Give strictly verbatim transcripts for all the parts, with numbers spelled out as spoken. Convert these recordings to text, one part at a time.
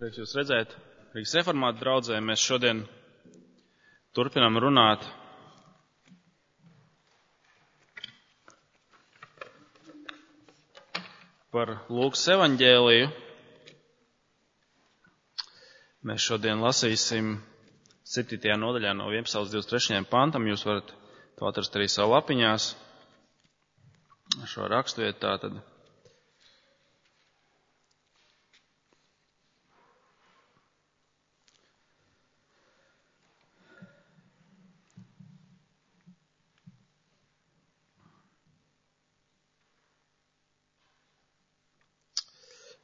Prieks jūs redzēt. Rīgas reformātu draudzē mēs šodien turpinām runāt par Lūkas evaņģēliju. Mēs šodien lasīsim septītajā nodaļā no vienpadsmitā līdz divdesmit trešajam pantam. Jūs varat to atrast arī savu lapiņās. Šo raksturiet tātad.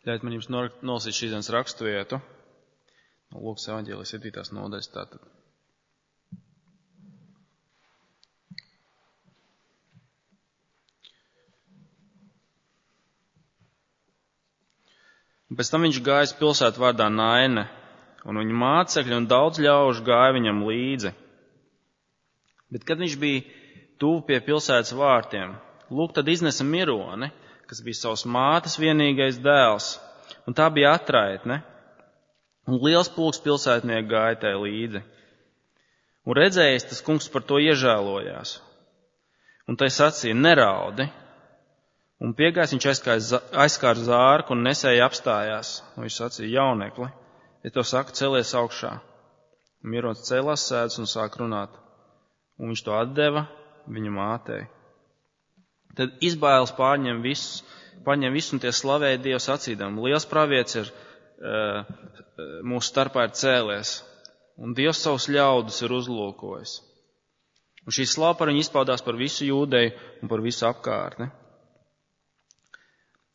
Ļaujiet man jums nolasīt šīs dienas raksturvietu no Lūkas evaņģēlijas septītās nodaļas tātad. Un pēc tam viņš gāja pilsētu vārdā Naine, un viņa mācekļi un daudz ļaužu gāja viņam līdzi. Bet, kad viņš bija tuvu pie pilsētas vārtiem, lūk, tad iznesa mironi, kas bija savas mātes vienīgais dēls, un tā bija atraitne, un liels pulks pilsētnieku gāja tai līdzi. Un redzējis, tas kungs par to iežēlojās, un tai sacīja, neraudi, un piegājis viņš aizskāra zārku un nesēja apstājās, un viņš sacīja, jaunekli, ja to saka, celies augšā. Un mironis cēlās sēdus un sāk runāt, un viņš to atdeva viņa mātei. Tad izbailes pārņem visus, pārņem visus un tie slavēja Dievu sacīdam. Liels pravietis ir uh, mūsu starpā ir cēlies, un Dievs savus ļaudus ir uzlūkojis. Un šī slava par viņu izpaudās par visu Jūdeju un par visu apkārtni.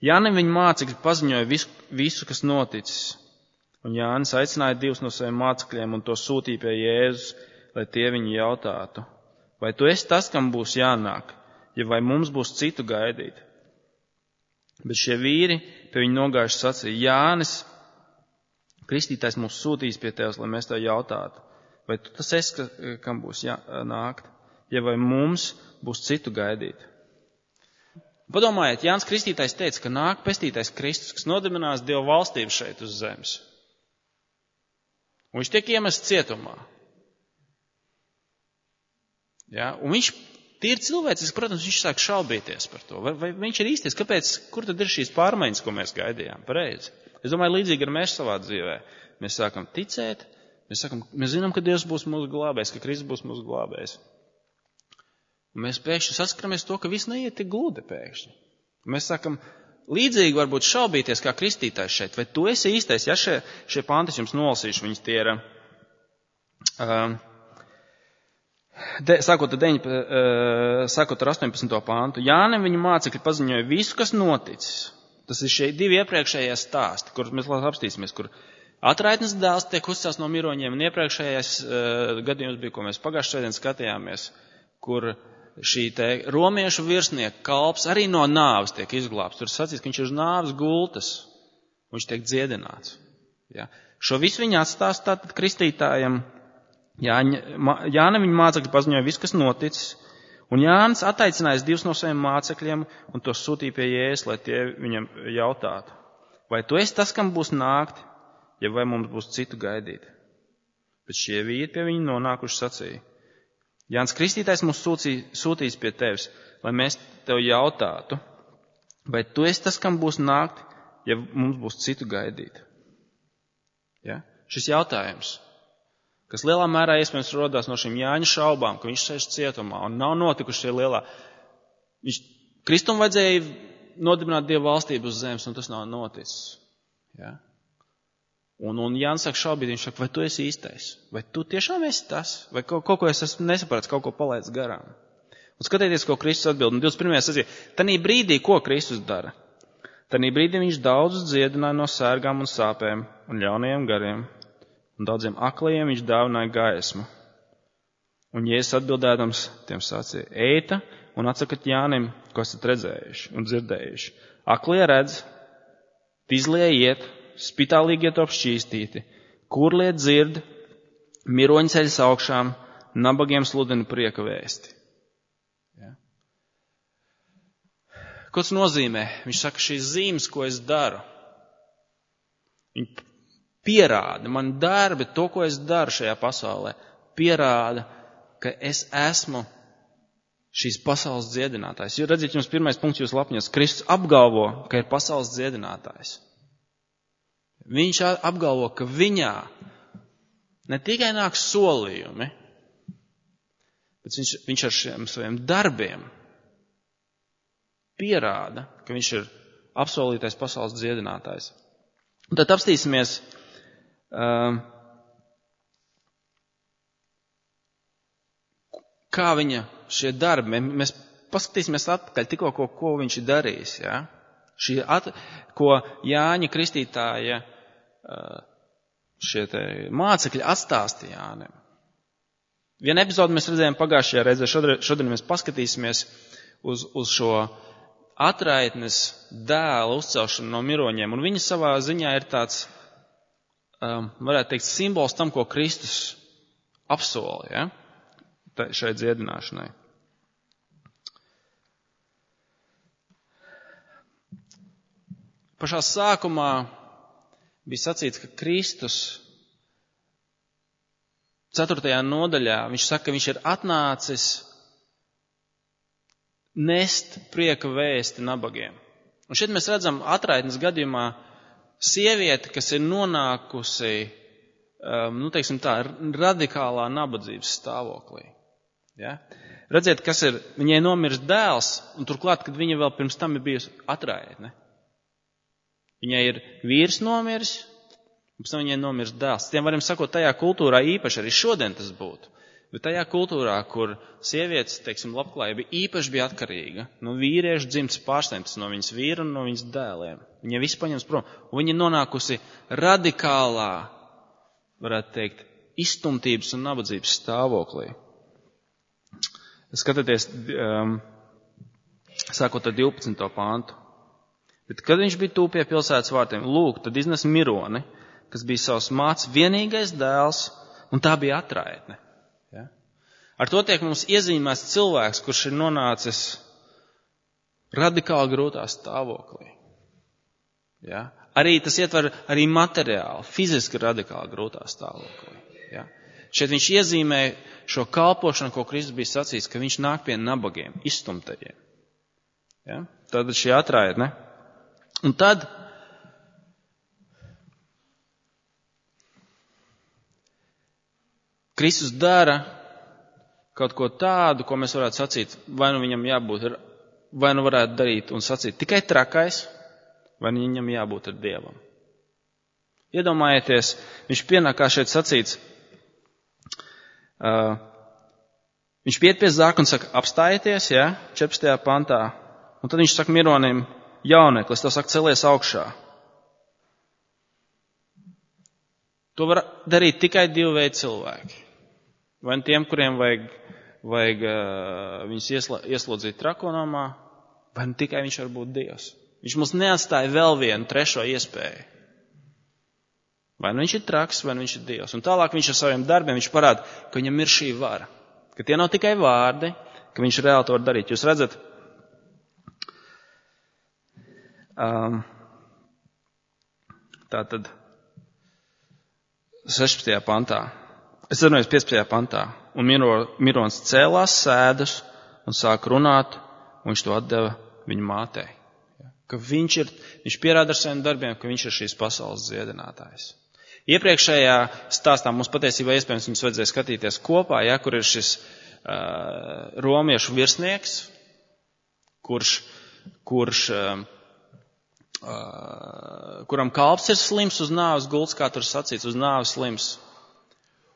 Jānim viņa mācekļi paziņoja visu, visu, kas noticis, un Jānis aicināja divus no saviem mācekļiem un to sūtīja pie Jēzus, lai tie viņu jautātu, vai tu esi tas, kam būs jānāk? Ja vai mums būs citu gaidīt. Bet šie vīri pie viņa nogājuši sacīja, Jānis, kristītājs mūs sūtīs pie tevis, lai mēs tev jautātu, vai tu tas esi, kam būs jānākt, ja vai mums būs citu gaidīt. Padomājiet, Jānis Kristītājs teica, ka nāk pestītais Kristus, kas nodibinās Dieva valstību šeit uz zemes. Un viņš tiek iemests cietumā. Ja? Un viņš tīri cilvēciski, protams, viņš sāk šaubīties par to. Vai, vai viņš ir īstais? Kāpēc? Kur tad ir šīs pārmaiņas, ko mēs gaidījām? Pareizi. Es domāju, līdzīgi ar mēs savā dzīvē. Mēs sākam ticēt, mēs, sākam, mēs zinām, ka Dievs būs mūsu glābējs, ka Kristus būs mūsu glābējs. Un mēs pēkšņi saskaramies to, ka viss neiet tik gludi pēkšņi. Mēs sākam līdzīgi varbūt šaubīties kā kristītājs šeit. Vai tu esi īstais? Ja šie, šie panti jums nolasīšu, viņas tie ir... Uh, De, sākot, ar deņi, sākot ar astoņpadsmito pāntu, Jānim viņa mācekļi paziņoja visu, kas noticis. Tas ir šie divi iepriekšējie stāsti, kurus mēs apstīsimies, kur atraitnes dēls tiek uzcēls no miroņiem, un iepriekšējais uh, gadījums bija, ko mēs pagājušajā svētdien skatījāmies, kur šī te romiešu virsnieka kalps arī no nāves tiek izglābts. Tur sacīs, ka viņš ir uz nāves gultas, un viņš tiek dziedināts. Ja? Šo visu viņa atstāst tātad kristītājam. Jānim viņa mācekļi paziņoja visu, kas noticis, un Jānis attaicinājis divus no saviem mācekļiem un tos sūtīja pie Jēzus, lai tie viņam jautātu, vai tu esi tas, kam būs nākt, ja vai mums būs citu gaidīt. Bet šie vīri pie viņa nonākuši sacīja, Jānis Kristītājs mūs sūtīja, sūtīs pie tevis, lai mēs tev jautātu, vai tu esi tas, kam būs nākt, ja mums būs citu gaidīt. Ja? Šis jautājums, kas lielā mērā iespējams rodās no šīm Jāņa šaubām, ka viņš sēž cietumā un nav notikuši šie lielā. Viņš, Kristum vajadzēja nodibināt Dieva valstību uz zemes, un tas nav noticis. Ja? Un, un Jānis sāk šaubīt, viņš saka, vai tu esi īstais? Vai tu tiešām esi tas? Vai kaut, kaut ko es esmu nesaprats, kaut ko palaidis garām? Un skatieties, ko Kristus atbild. Un divdesmit pirmajā sacīja, tanī brīdī, ko Kristus dara? Tanī brīdī viņš daudzus dziedināja no sērgām un sāpēm un ļaunajiem gariem. Un daudziem aklajiem viņš dāvināja gaismu. Un Jēzus atbildēdams tiem sacīja, eita un atsakat Jānim, ko esat redzējuši un dzirdējuši. Aklie redz, tizlie iet, spitālīgie top šķīstīti, kurlie dzird, miroņi ceļas augšām, nabagiem sludina prieka vēsti. Ja? Ko tas nozīmē? Viņš saka, šīs zīmes, ko es daru, viņi pierāda, man darbi, to, ko es daru šajā pasaulē, pierāda, ka es esmu šīs pasaules dziedinātājs. Jo redziet, jums pirmais punkts jūs lapņos. Kristus apgalvo, ka ir pasaules dziedinātājs. Viņš apgalvo, ka viņā ne tikai nāk solījumi, bet viņš, viņš ar šiem saviem darbiem pierāda, ka viņš ir apsolītais pasaules dziedinātājs. Un tad apstīsimies, um, kā viņa šie darbi, mēs paskatīsimies atpakaļ tikko, ko, ko viņš ir darījis. Ja? Šī at, ko Jāņa Kristītāja šie te mācekļi atstāstīja Jānim. Vienu epizodu mēs redzējām pagājušajā reizē, šodien, šodien mēs paskatīsimies uz, uz šo atraitnes dēla uzcelšanu no miroņiem. Un viņa savā ziņā ir tāds, um, varētu teikt, simbols tam, ko Kristus apsola, ja? Šai dziedināšanai. Pašā sākumā bija sacīts, ka Kristus ceturtajā nodaļā, viņš saka, ka viņš ir atnācis nest prieka vēsti nabagiem. Un šeit mēs redzam atraitnes gadījumā sievieti, kas ir nonākusi, um, nu teiksim tā, radikālā nabadzības stāvoklī. Ja? Redziet, kas ir, viņai nomirs dēls, un turklāt, kad viņa vēl pirms tam ir bijusi atraitne. Viņai ir vīrs nomiris, un pēc tam viņai nomirs dēls. Tiem varam sakot, tajā kultūrā īpaši arī šodien tas būtu. Bet tajā kultūrā, kur sievietes, teiksim, labklājība īpaši bija atkarīga no vīriešu dzimtas pārstāvības, no viņas vīra un no viņas dēliem. Viņa visu paņems prom. Un viņa nonākusi radikālā, varētu teikt, izstumtības un nabadzības stāvoklī. Skatieties, um, sākot ar divpadsmito pāntu. Bet, kad viņš bija tūp pie pilsētas vārtiem, lūk, tad iznes mironi, kas bija savs mācs vienīgais dēls, un tā bija atraitne. Ja? Ar to tiek mums iezīmēts cilvēks, kurš ir nonācis radikāli grūtā stāvoklī. Ja? Arī tas ietver arī materiāli, fiziski radikāli grūtā stāvoklī. Ja? Šeit viņš iezīmē šo kalpošanu, ko Kristus bija sacījis, ka viņš nāk pie nabagiem, izstumtajiem. Ja? Tad šī atraitne. Un tad Kristus dara kaut ko tādu, ko mēs varētu sacīt, vai nu viņam jābūt, vai nu varētu darīt un sacīt tikai trakais, vai nu viņam jābūt ar Dievam. Iedomājieties, viņš pienāk, kā šeit sacīts, uh, viņš piet pie zāka un saka, apstājieties, ja, četrpadsmitajā pantā, un tad viņš saka mironim, jauneklis, tas saka, celies augšā. To var darīt tikai divi veidi cilvēki. Vai tiem, kuriem vajag, vajag uh, viņus iesla, ieslodzīt trakonamā, vai nu tikai viņš var būt Dievs. Viņš mums neatstāja vēl vienu trešo iespēju. Vai nu viņš ir traks, vai nu viņš ir Dievs. Un tālāk viņš ar saviem darbiem viņš parāda, ka viņam ir šī vara. Ka tie nav tikai vārdi, ka viņš reāli to var darīt. Jūs redzat, um, tā tad sešpadsmitajā pantā. Es atvainojos piecpadsmitajā pantā. Un miro, mirons cēlās sēdus un sāk runāt, un viņš to atdeva viņa mātei. Ka viņš ir, viņš pierāda ar saviem darbiem, ka viņš ir šīs pasaules dziedinātājs. Iepriekšējā stāstā mums patiesībā iespējams viņus vajadzēja skatīties kopā, ja, kur ir šis uh, romiešu virsnieks, kurš, kurš uh, uh, kuram kalps ir slims uz nāves gults, kā tur sacīts, uz nāves slims.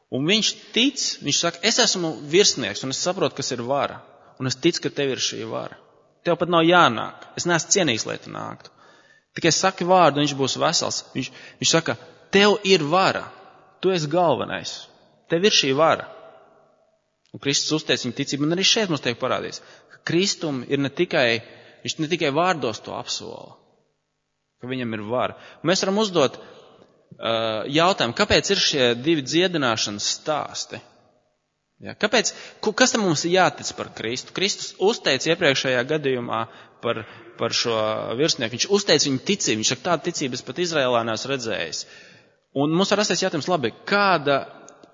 Un viņš tic, viņš saka, es esmu virsnieks un es saprotu, kas ir vara. Un es ticu, ka tev ir šī vara. Tev pat nav jānāk. Es neesmu cienīgs, lai tu nāktu. Tikai saki vārdu, viņš būs vesels. Viņš, viņš saka, tev ir vara. Tu esi galvenais. Tev ir šī vara. Un Kristus uzteic viņa ticību. Un arī šeit mums tiek parādīts, ka Kristum ir ne tikai, viņš ne tikai vārdos to apsola, ka viņam ir vara. Un mēs varam uzdot uh, jautājumu, kāpēc ir šie divi dziedināšanas stāsti? Ja, kāpēc, kas tam mums ir jātic par Kristu? Kristus uzteica iepriekšējā gadījumā par, par šo virsnieku. Viņš uzteica viņu ticību. Viņš saka, tādu ticību es pat Izraēlā neesmu redzējis. Un mums var rasties jautājums, labi, kāda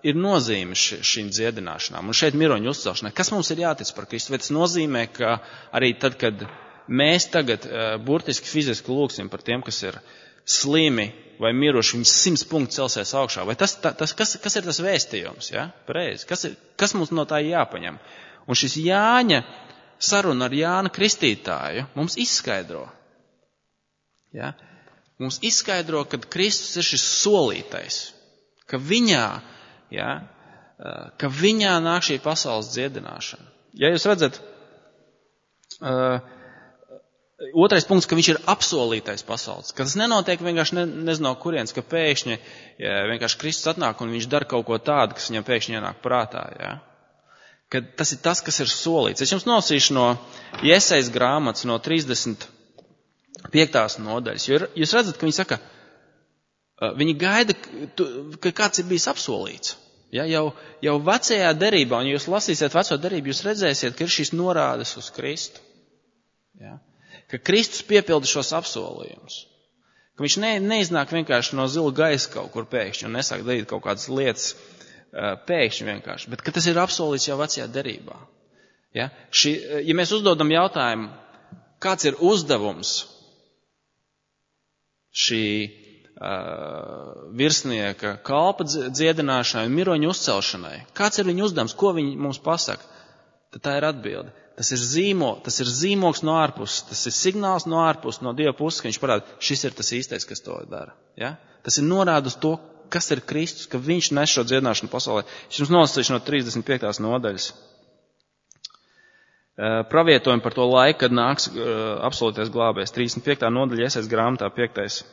ir nozīme ši, šīm dziedināšanām? Un šeit miroņu uzcelšanai. Kas mums ir jātic par Kristu? Vai tas nozīmē, ka arī tad, kad mēs tagad uh, burtiski fiziski lūksim par tiem, kas ir slimi vai miruši, viņi simts punktu celsies augšā? Vai tas, ta, tas kas, kas ir tas vēstījums? Ja? Pareizi. Kas, ir, kas mums no tā jāpaņem? Un šis Jāņa saruna ar Jāna Kristītāju mums izskaidro. Ja? Mums izskaidro, ka Kristus ir šis solītais, ka viņā, ja, ka viņā nāk šī pasaules dziedināšana. Ja jūs redzat, uh, otrais punkts, ka viņš ir apsolītais pasaules, ka tas nenotiek vienkārši ne, nezinu no kurienes, ka pēkšņi ja, vienkārši Kristus atnāk un viņš dara kaut ko tādu, kas viņam pēkšņi ienāk prātā. Ja? Ka tas ir tas, kas ir solīts. Es jums nosīšu no Jesajas grāmatas, no trīsdesmit piektās nodaļas. Jo jūs redzat, ka viņi saka, viņi gaida, ka kāds ir bijis apsolīts. Ja, jau, jau vecajā derībā, un ja jūs lasīsiet veco derību, jūs redzēsiet, ka ir šīs norādes uz Kristu. Ja, ka Kristus piepilda šos apsolījumus. Ka viņš ne, neiznāk vienkārši no zila gaisa kaut kur pēkšņi un nesāk darīt kaut kādas lietas pēkšņi vienkārši, bet ka tas ir apsolīts jau vecajā derībā. Ja, šī, ja mēs uzdodam jautājumu, kāds ir uzdevums šī uh, virsnieka kalpa dziedināšanai un miroņu uzcelšanai. Kāds ir viņa uzdevums? Ko viņi mums pasaka? Tad tā ir atbilde. Tas ir zīmo, tas ir zīmoks no ārpuses, tas ir signāls no ārpuses, no Dieva puses, ka viņš parāda, šis ir tas īstais, kas to dara. Ja? Tas ir norāda uz to, kas ir Kristus, ka viņš nes šo dziedināšanu pasaulē. Es jums nolasīšu no trīsdesmit piektās nodaļas. Pravietojumi par to laiku, kad nāks uh, absolūtais glābējs. trīsdesmit piektā nodaļa Jesajas grāmatā, piektais,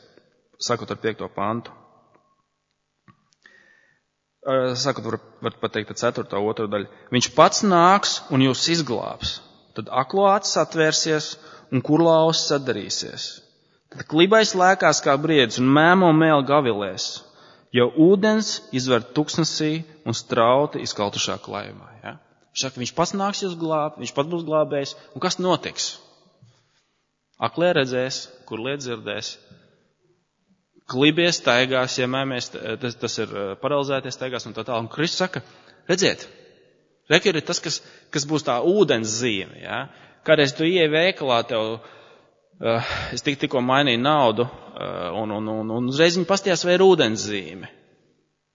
sakot ar piekto pantu. Uh, sakot, var, var pateikt, ceturtā, otrā daļa. Viņš pats nāks un jūs izglābs. Tad aklo acis atvērsies un kurlaus sadarīsies. Tad klibais lēkās kā briedis un mēmo mēli gavilēs. Jo ūdens izver tuksnesī un strauti izkaltušā klājumā. Ja? Viņš saka, viņš pats nāks jūs glābt, viņš pats būs glābējs. Un kas notiks? Aklie redzēs, kur liet dzirdēs. Klibies staigās, ja mēmies, tas, tas ir paralizēties staigās un tā tā. Un Kristus saka, redziet, rekir ir tas, kas, kas būs tā ūdens zīme. Ja? Kādreiz tu ieej veikalā, tev, uh, es tik, tikko mainīju naudu, uh, un, un, un, un uzreiz viņi pastījās, vai ir ūdens zīme.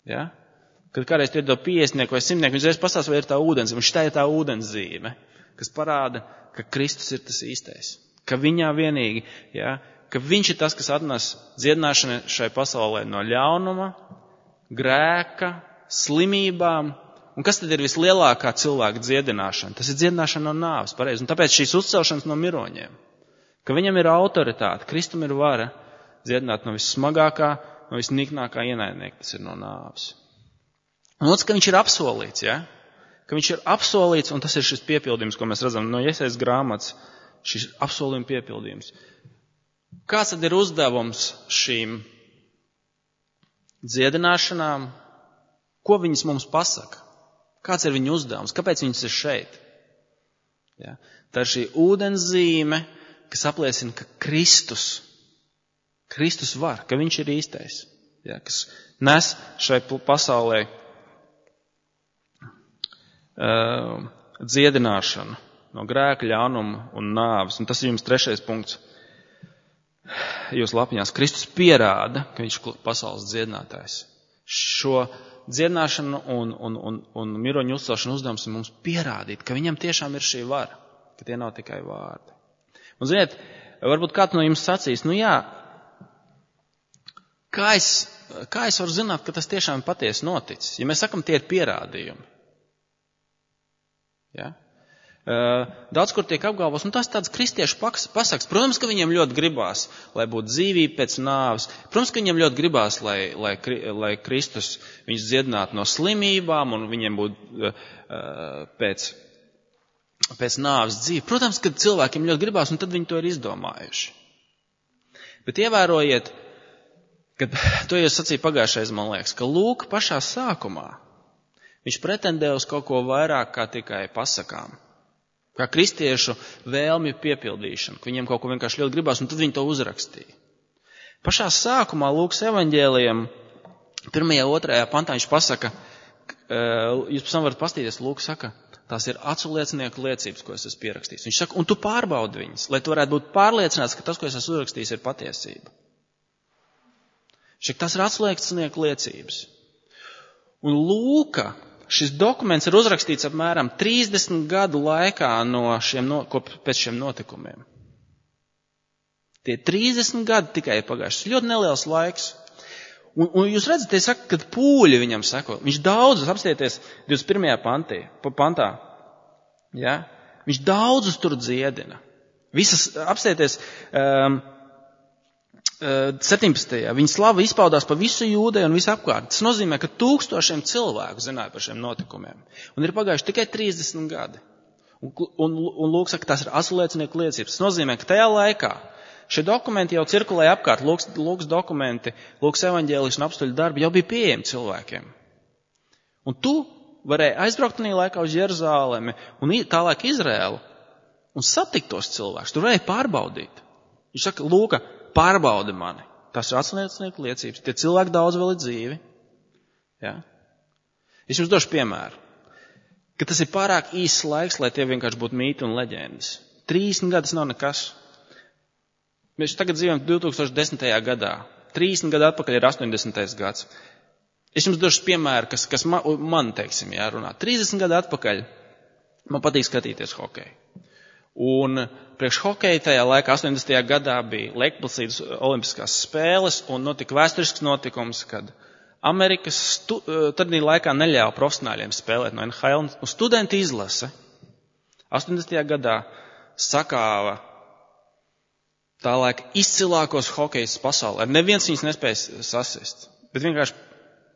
Ja? Kad kādreiz tu ir to piecdesmitnieku vai simtnieku, viņš reiz pastāsta, vai ir tā ūdenszīme. Un šitā ir tā ūdenszīme, kas parāda, ka Kristus ir tas īstais. Ka viņā vienīgi, ja, ka viņš ir tas, kas atnes dziedināšanu šai pasaulē no ļaunuma, grēka, slimībām. Un kas tad ir vislielākā cilvēka dziedināšana? Tas ir dziedināšana no nāves, pareizi. Un tāpēc šīs uzcelšanas no miroņiem. Ka viņam ir autoritāte, Kristum ir vara dziedināt no vissmagākā, no visniknākā ienaidnieka, tas ir no nāves. Un otrs, ka viņš ir apsolīts, ja? Ka viņš ir apsolīts, un tas ir šis piepildījums, ko mēs redzam no Jesajas grāmatas, šis apsolījuma piepildījums. Kāds tad ir uzdevums šīm dziedināšanām? Ko viņas mums pasaka? Kāds ir viņu uzdevums? Kāpēc viņas ir šeit? Ja? Tā ir šī ūdenszīme, kas apliecina, ka Kristus, Kristus var, ka viņš ir īstais, ja? Kas nes šai pasaulē Uh, dziedināšana no grēka, ļaunuma un nāves. Un tas ir jums trešais punkts. Jūs lapiņās. Kristus pierāda, ka viņš ir pasaules dziedinātājs. Šo dziedināšanu un, un, un, un miroņu uzcelšanu uzdevums ir mums pierādīt, ka viņam tiešām ir šī vara, ka tie nav tikai vārdi. Un ziniet, varbūt kāds no jums sacīs, nu jā, kā es, kā es varu zināt, ka tas tiešām patiesi noticis? Ja mēs sakam, tie ir pierādījumi. Ja? Daudz, kur tiek apgalvos, un tas tāds kristiešu pasaks. Protams, ka viņiem ļoti gribās, lai būtu dzīvība pēc nāves. Protams, ka viņiem ļoti gribās, lai, lai, lai Kristus viņus dziedinātu no slimībām, un viņiem būtu uh, pēc, pēc nāves dzīve. Protams, ka cilvēkiem ļoti gribās, un tad viņi to ir izdomājuši. Bet ievērojiet, kad to jūs sacīja pagājušais, man liekas, ka lūk pašā sākumā viņš pretendē uz kaut ko vairāk kā tikai pasakām. Kā kristiešu vēlmju piepildīšanu, ka viņiem kaut ko vienkārši ļoti gribās, un tad viņi to uzrakstīja. Pašā sākumā Lūkas evaņģēlijam Pirmajā, otrajā pantā viņš pasaka, jūs pēc tam varat pastīties, Lūk saka, tās ir acu liecinieku liecības, ko es esmu pierakstījis. Viņš saka, un tu pārbaudi viņas, lai tu varētu būt pārliecināts, ka tas, ko es esmu uzrakstījis, ir patiesība. Viņš saka, tas ir acu liecinieku liecības. Un Lūka, šis dokuments ir uzrakstīts apmēram trīsdesmit gadu laikā no šiem, no, pēc šiem notikumiem. Tie trīsdesmit gadi tikai ir pagājuši. Ļoti neliels laiks. Un, un jūs redzat, tie saka, kad pūļi viņam sako. Viņš daudzus, apstieties divdesmit pirmajā pantī, pantā. Ja? Viņš daudzus tur dziedina. Visas, apstieties, um, septiņpadsmitajā. Viņa slava izpaudās pa visu Jūdeju un visu apkārt. Tas nozīmē, ka tūkstošiem cilvēku zināja par šiem notikumiem. Un ir pagājuši tikai trīsdesmit gadi. Un, un, un Lūk saka, tās ir acu liecinieku liecības. Tas nozīmē, ka tajā laikā šie dokumenti jau cirkulēja apkārt, Lūks, Lūks dokumenti, Lūks evaņģēlis un apstuļu darbi jau bija pieejami cilvēkiem. Un tu varēji aizbraukt tajā laikā uz Jeruzālemi un tālāk Izrēlu un satikt tos cilvēkus. Tu varēji pārbaudīt. Viņš saka, Lūka, pārbaudi mani. Tas ir acu liecinieku liecības. Tie cilvēki daudz vēl ir dzīvi. Ja? Es jums došu piemēru, ka tas ir pārāk īsts laiks, lai tie vienkārši būtu mīti un leģendas. trīsdesmit gadi nav nekas. Mēs tagad dzīvojam divi tūkstoši desmitajā gadā. trīsdesmit gadu atpakaļ ir astoņdesmitais gads. Es jums došu piemēru, kas, kas man, man, teiksim, jārunā. trīsdesmit gadu atpakaļ man patīk skatīties hokeju. Un priekš hokeja tajā laikā astoņdesmitajā gadā bija Lielpilsētas olimpiskās spēles un notika vēsturisks notikums, kad Amerikas stu, tādī laikā neļāva profesionāļiem spēlēt no N H L. Un studenti izlase astoņdesmitajā gadā sakāva tā laika izcilākos hokejus pasaulē. Neviens viņus nespēja sasist. Bet vienkārši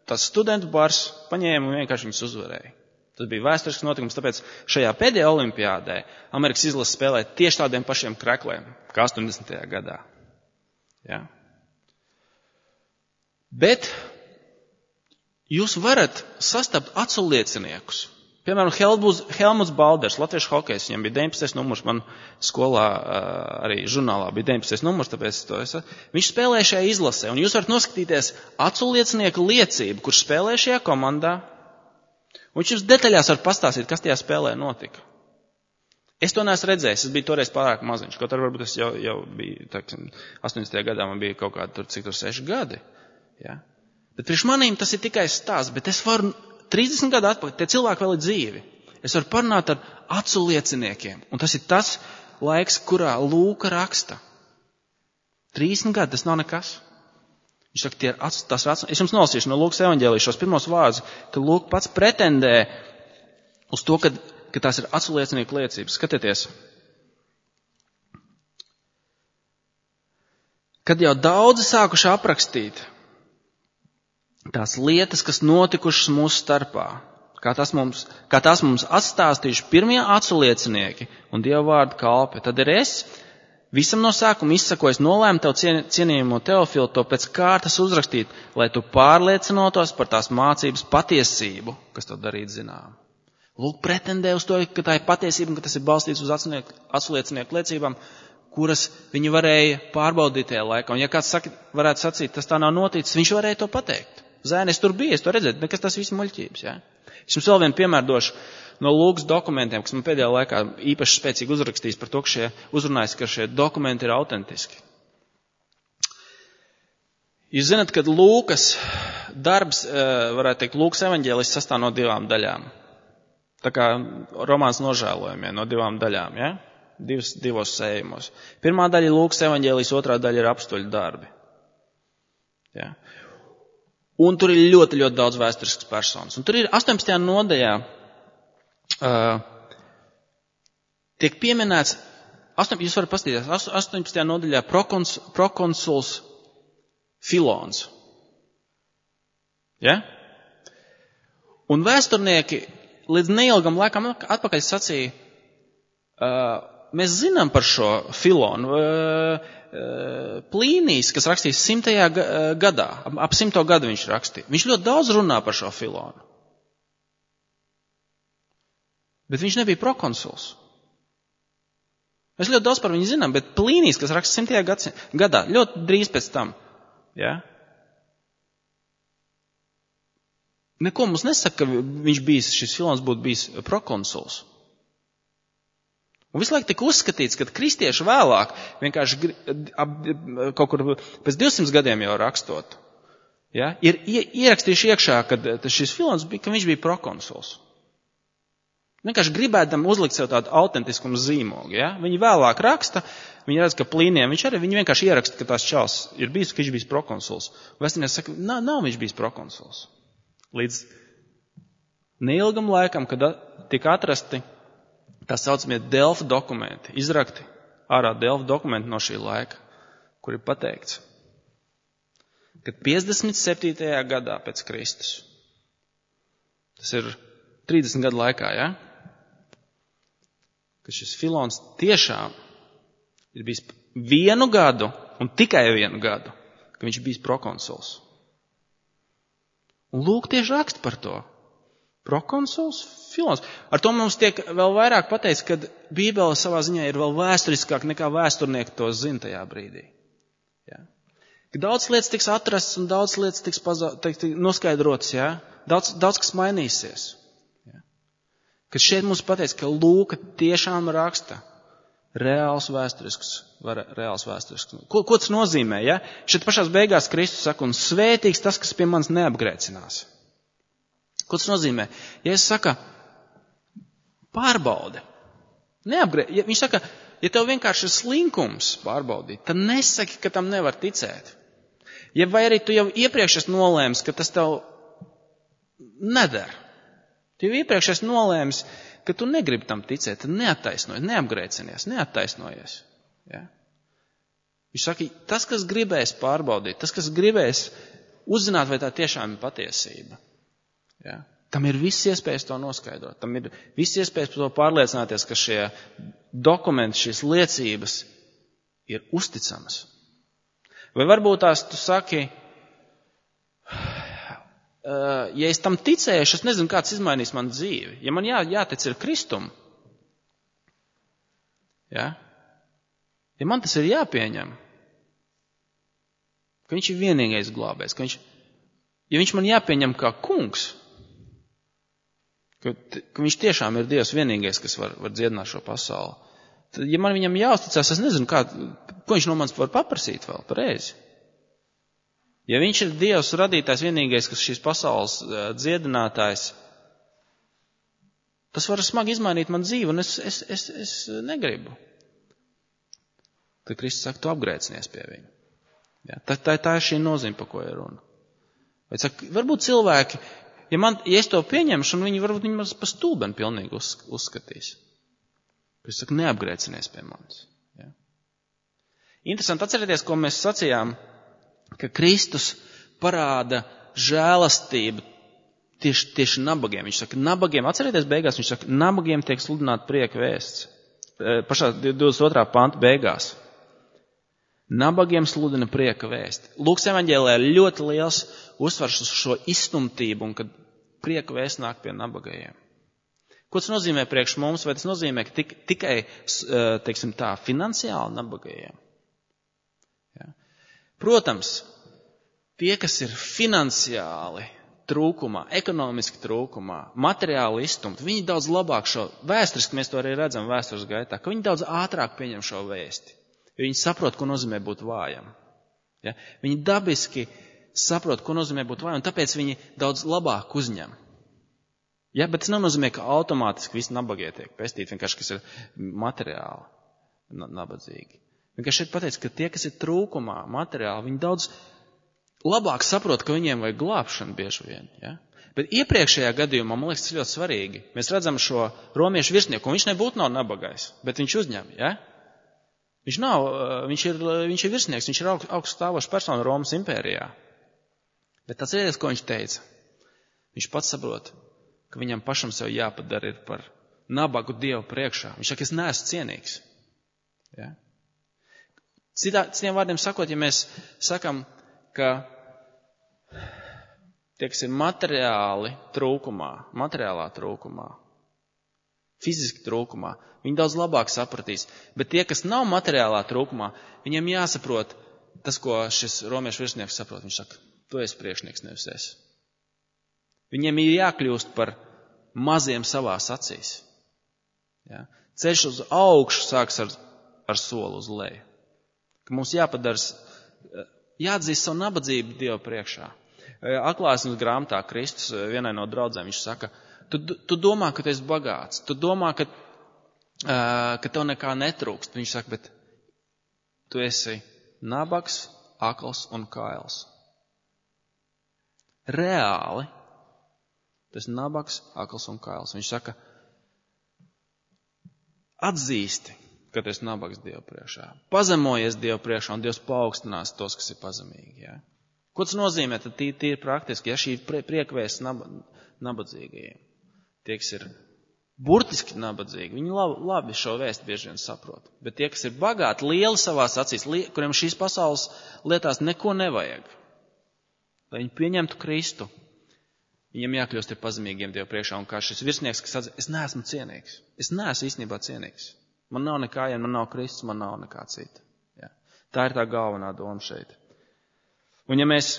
tas studentu bars paņēma un vienkārši viņus uzvarēja. Tas bija vēsturisks notikums, tāpēc šajā pēdējā olimpiādē Amerikas izlase spēlēja tieši tādiem pašiem krekliem, kā astoņdesmitajā gadā. Ja? Bet jūs varat sastapt acu lieciniekus. Piemēram, Helmuts Balders, latviešu hokejs, viņam bija deviņpadsmitais numurs, man skolā arī žurnālā bija deviņpadsmitais numurs, tāpēc to es. Viņš spēlēja šajā izlasē, un jūs varat noskatīties acu liecinieku liecību, kurš spēlēja šajā komandā, un viņš jums detaļās var pastāstīt, kas tajā spēlē notika. Es to neesmu redzējis, es biju toreiz pārāk maziņš, kaut arī varbūt es jau, jau biju, teiksim, astoņdesmitajā gadā man bija kaut kādi tur, cik tur seši gadi. Ja? Bet priekš manīm tas ir tikai stāsts, bet es varu trīsdesmit gadu atpakaļ, tie cilvēki vēl ir dzīvi. Es varu parunāt ar acu lieciniekiem. Un tas ir tas laiks, kurā Lūka raksta. trīsdesmit gadi, tas nav nekas. Viņš saka, tie ir acu, tas ir acu. Es jums nolasīšu no Lūkas evaņģēlijas šos pirmos vārdus, ka Lūka pats pretendē uz to, ka, ka tās ir acu liecinieku liecības. Skatieties. Kad jau daudzi sākuši aprakstīt tās lietas, kas notikušas mūsu starpā, kā tās mums, kā tās mums atstāstījuši pirmie acu liecinieki un Dieva vārdu kalpi, tad ir es visam no sākuma izsakojis nolēmu tev cien, cienījamo Teofilu to pēc kārtas uzrakstīt, lai tu pārliecinotos par tās mācības patiesību, kas to darīt zinām. Lūk, pretendē uz to, ka tā ir patiesība un ka tas ir balstīts uz acu liecinieku liecībām, kuras viņi varēja pārbaudīt tajā laikā. Un ja kāds saka, varētu sacīt, tas tā nav noticis, viņš varēja to pateikt. Zēni, es tur biju, es to redzēju, nekas tas viss muļķības. Ja? Es jums vēl vienu piemēru došu no Lūkas dokumentiem, kas man pēdējā laikā īpaši spēcīgi uzrakstījis par to, ka šie uzrunājas, ka šie dokumenti ir autentiski. Jūs zināt, ka Lūkas darbs, varētu teikt, Lūkas evaņģēlis sastāv no divām daļām. Tā kā romāns Nožēlojumie no divām daļām, ja? Divos, divos sējumos. Pirmā daļa ir Lūkas evaņģēlis, otrā daļa ir apstuļu darbi. Ja? Un tur ir ļoti, ļoti daudz vēsturiskas personas. Un tur ir astoņpadsmitajā nodaļā uh, tiek pieminēts, astoņ, jūs varat paskatīties, astoņpadsmitajā nodaļā prokons, prokonsuls Filons. Ja? Un vēsturnieki līdz neilgam laikam atpakaļ sacīja, uh, mēs zinām par šo Filonu. Uh, Plīnijs, kas rakstīs simtajā gadā, ap simto gadu viņš rakstīja. Viņš ļoti daudz runā par šo Filonu. Bet viņš nebija prokonsuls. Mēs ļoti daudz par viņu zinām, bet Plīnijs, kas raksta simtajā gadā, ļoti drīz pēc tam, ja? neko mums nesaka, ka viņš bijis, šis Filons būtu bijis prokonsuls. Un visu laiku tika uzskatīts, ka kristieši vēlāk, vienkārši kaut kur pēc divsimt gadiem jau rakstot, ja, ir ierakstījuši iekšā, ka šis Filons bija, ka viņš bija prokonsuls. Vienkārši gribēdam uzlikt sev tādu autentiskumu zīmogu. Ja? Viņi vēlāk raksta, viņi redz, ka plīniem, viņš arī viņi vienkārši ieraksta, ka tās čals ir bijis, ka viņš bijis prokonsuls. Vēstinieks saka, nav, nav viņš bijis prokonsuls. Līdz neilgam laikam, kad tika atrasti tā saucamie Delfa dokumenti, izrakti ārā Delfa dokumenti no šī laika, kur ir pateikts, ka piecdesmit septītajā gadā pēc Kristus, tas ir trīsdesmit gadu laikā, ja? Ka šis Filons tiešām ir bijis vienu gadu, un tikai vienu gadu, ka viņš bijis prokonsuls. Un lūk, tieši raksta par to. Prokonsuls, Filons. Ar to mums tiek vēl vairāk pateicis, ka Bībele savā ziņā ir vēl vēsturiskāk nekā vēsturnieki to zina tajā brīdī. Ja? Ka daudz lietas tiks atrasts un daudz lietas tiks paza, tiks noskaidrotas, ja? daudz, daudz kas mainīsies. Kad šeit mums pateic, ka Lūka tiešām raksta reāls vēsturisks, reāls vēsturisks. Ko, ko tas nozīmē, ja? Šeit pašās beigās Kristus saka, un svētīgs tas, kas pie manis neapgrēcinās. Ko tas nozīmē? Ja es saka, pārbaude, neapgrē, ja viņš saka, ja tev vienkārši ir slinkums pārbaudīt, tad nesaki, ka tam nevar ticēt. Ja vai arī tu jau iepriekš esi nolēmis, ka tas tev nedara. Tu jau iepriekš esi nolēmis, ka tu negribi tam ticēt, tad neattaisnojies, neapgrēcinies, neattaisnojies. Ja? Viņš saka, tas, kas gribēs pārbaudīt, tas, kas gribēs uzzināt, vai tā tiešām ir patiesība. Ja? Tam ir viss iespējas to noskaidrot. Tam ir viss iespējas par to pārliecināties, ka šie dokumenti, šīs liecības ir uzticamas. Vai varbūt tās tu saki, ja es tam ticēšu, es nezinu, kāds izmainīs man dzīvi. Ja man jā, jātic ir Kristum, ja? Ja man tas ir jāpieņem, ka viņš ir vienīgais glābējs, ka viņš, ja viņš man jāpieņem kā kungs, ka, ka viņš tiešām ir Dievs vienīgais, kas var, var dziedināt šo pasauli, tad, ja man viņam jāuzticās, es nezinu, kā, ko viņš no manis var paprasīt vēl pareizi. Ja viņš ir Dievs radītājs vienīgais, kas šīs pasaules dziedinātājs, tas var smagi izmainīt man dzīvi, un es, es, es, es negribu. Tad Kristus saka, tu apgrēcinies pie viņa. Ja, tā, tā, tā ir šī nozīme, pa ko ir runa. Vai saka, varbūt cilvēki, ja, man, ja es to pieņemšu, un viņi varbūt viņi man pa stulbeni pilnīgi uz, uzskatīs. Kristus saka, neapgrēcinies pie manis. Ja. Interesanti atcerieties, ko mēs sacījām, ka Kristus parāda žēlastību tieši, tieši nabagiem. Viņš saka, nabagiem, atcerieties beigās, viņš saka, nabagiem tiek sludināt prieka vēsts. Pašā divdesmit otrā panta beigās. Nabagiem sludina prieka vēsti. Lūkas evaņģēlijā ir ļoti liels uzsvars uz šo izstumtību, un kad prieka vēsts nāk pie nabagajiem. Ko tas nozīmē priekš mums? Vai tas nozīmē, ka tik, tikai, teiksim tā, finansiāli nabagajiem? Protams, tie, kas ir finansiāli trūkumā, ekonomiski trūkumā, materiāli izstumti, viņi daudz labāk šo, vēsturiski mēs to arī redzam vēstures gaitā, ka viņi daudz ātrāk pieņem šo vēsti, jo viņi saprot, ko nozīmē būt vājam. Ja? Viņi dabiski saprot, ko nozīmē būt vājam, un tāpēc viņi daudz labāk uzņem. Ja? Bet tas nenozīmē, ka automātiski visi nabagie tiek pestīti, vienkārši, kas ir materiāli nabadzīgi. Vienkārši šeit pateic, ka tie, kas ir trūkumā materiāli, viņi daudz labāk saprot, ka viņiem vajag glābšanu bieži vien. Ja? Bet iepriekšējā gadījumā, man liekas, tas ļoti svarīgi. Mēs redzam šo romiešu virsnieku, un viņš nebūtu nav nabagais, bet viņš uzņem. Ja? Viņš, nav, viņš, ir, viņš ir virsnieks, viņš ir augsts stāvošs persona Romas impērijā. Bet tas ir, ko viņš teica. Viņš pats saprot, ka viņam pašam sev jāpadara ir par nabagu Dievu priekšā. Viņš saka, es neesmu cienīgs. Ja? Citā, citiem vārdiem sakot, ja mēs sakam, ka tie, kas ir materiāli trūkumā, materiālā trūkumā, fiziski trūkumā, viņi daudz labāk sapratīs. Bet tie, kas nav materiālā trūkumā, viņiem jāsaprot tas, ko šis romiešu virsnieks saprot. Viņš saka, tu esi priekšnieks, nevis es. Viņiem ir jākļūst par maziem savās acīs. Ja? Ceļš uz augšu sāks ar, ar soli uz leju. Ka mums jāpadars, jāatzīst savu nabadzību Dievu priekšā. Atklāsmes grāmatā Kristus vienai no draudzēm, viņš saka, tu, tu domā, ka tu esi bagāts, tu domā, ka, ka tev nekā netrūkst. Viņš saka, bet tu esi nabags, akls un kails. Reāli. Tas ir nabags, akls un kails. Viņš saka, atzīsti, ka tu esi nabags Dievu priekšā. Pazemojies Dievu priekšā un Dievs paaugstinās tos, kas ir pazemīgi. Ja? Ko tas nozīmē? Tad tī, tī ir praktiski, ja šī priekvēsts nab, nabadzīgajiem. Tie, kas ir burtiski nabadzīgi, viņi labi, labi šo vēstu bieži vien saprot. Bet tie, kas ir bagāti, lieli savās acīs, li, kuriem šīs pasaules lietās neko nevajag, lai viņi pieņemtu Kristu, viņiem jākļūst ir pazemīgiem Dievu priekšā. Un kā šis virsnieks, kas atzina, es neesmu cienīgs. Es neesmu īstenībā cienīgs. Man nav nekā, ja man nav Kristus, man nav nekā cita. Ja. Tā ir tā galvenā doma šeit. Un ja mēs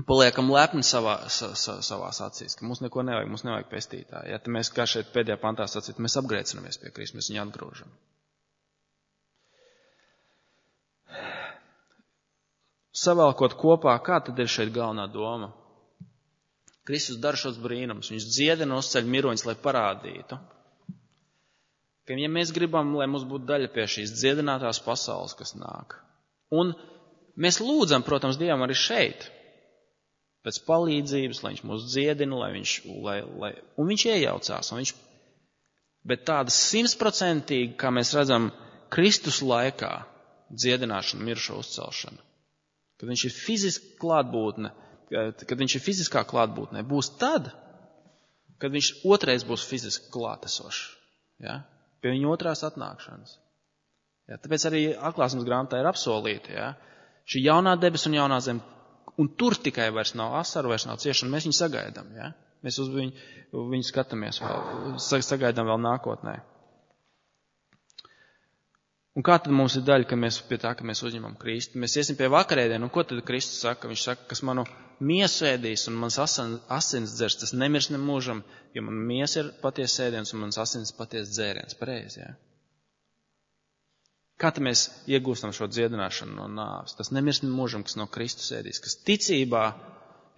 paliekam lepni savā, sa, sa, savās acīs, ka mums neko nevajag, mums nevajag pestītāji, ja, tad mēs, kā šeit pēdējā pantā sacīt, mēs apgrēcinamies pie Kristus, mēs viņu atgrūžam. Savēlkot kopā, kā tad ir šeit galvenā doma? Kristus dara šos brīnumus, viņš dziedina uzceļ miroņus, lai parādītu, ka ja mēs gribam, lai mums būtu daļa pie šīs dziedinātās pasaules, kas nāk. Un mēs lūdzam, protams, Dievam arī šeit, pēc palīdzības, lai viņš mūs dziedina, lai viņš, lai, lai, un viņš iejaucās. Un viņš, bet tāda simtprocentīgi, kā mēs redzam, Kristus laikā dziedināšana, mirušo uzcelšana, kad viņš ir fiziski klātbūtne, kad viņš ir fiziskā klātbūtnē, būs tad, kad viņš otrais būs fiziski klātesošs. Ja? Pie viņa otrās atnākšanas. Ja? Tāpēc arī atklāsmes grāmatā ir apsolīta. Ja? Šī jaunā debes un jaunā zeme, un tur tikai vairs nav asaru, vairs nav ciešana, mēs viņu sagaidām. Ja? Mēs uz viņu, viņu skatāmies, vēl, sagaidām vēl nākotnē. Un kā tad mums ir daļa, ka mēs pie tā, ka mēs uzņemam Kristu? Mēs iesim pie vakarēdienu, un ko tad Kristus saka? Viņš saka, kas manu miesu ēdīs un mans asins, asins dzers, tas nemirs nemūžam, jo man miesa ir paties ēdiens un mans asins paties dzēriens. Pareizi, jā? Kā tad mēs iegūstam šo dziedināšanu no nāves? Tas nemirs nemūžam, kas no Kristus ēdīs, kas ticībā,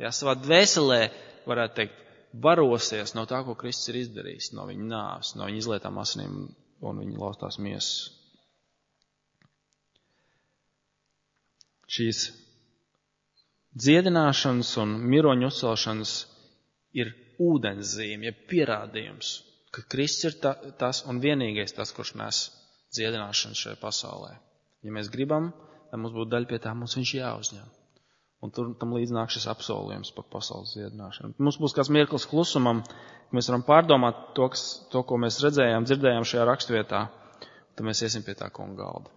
jā, savā dvēselē, varētu teikt, barosies no tā, ko Kristus ir izdarījis, no viņa nāves, no viņa izlietām asinīm un viņa laustās miesas. Šīs dziedināšanas un miroņu uzcelšanas ir ūdenszīme, ja pierādījums, ka Kristus ir ta, tas un vienīgais tas, kurš nes dziedināšanu šajā pasaulē. Ja mēs gribam, lai mums būtu daļa pie tā, mums viņš jāuzņem. Un tur tam līdz nāk šis apsolījums par pasaules dziedināšanu. Mums būs kāds mirklis klusumam, ka mēs varam pārdomāt to, kas, to, ko mēs redzējām, dzirdējām šajā rakstvietā, tad mēs iesim pie tā kunga galda.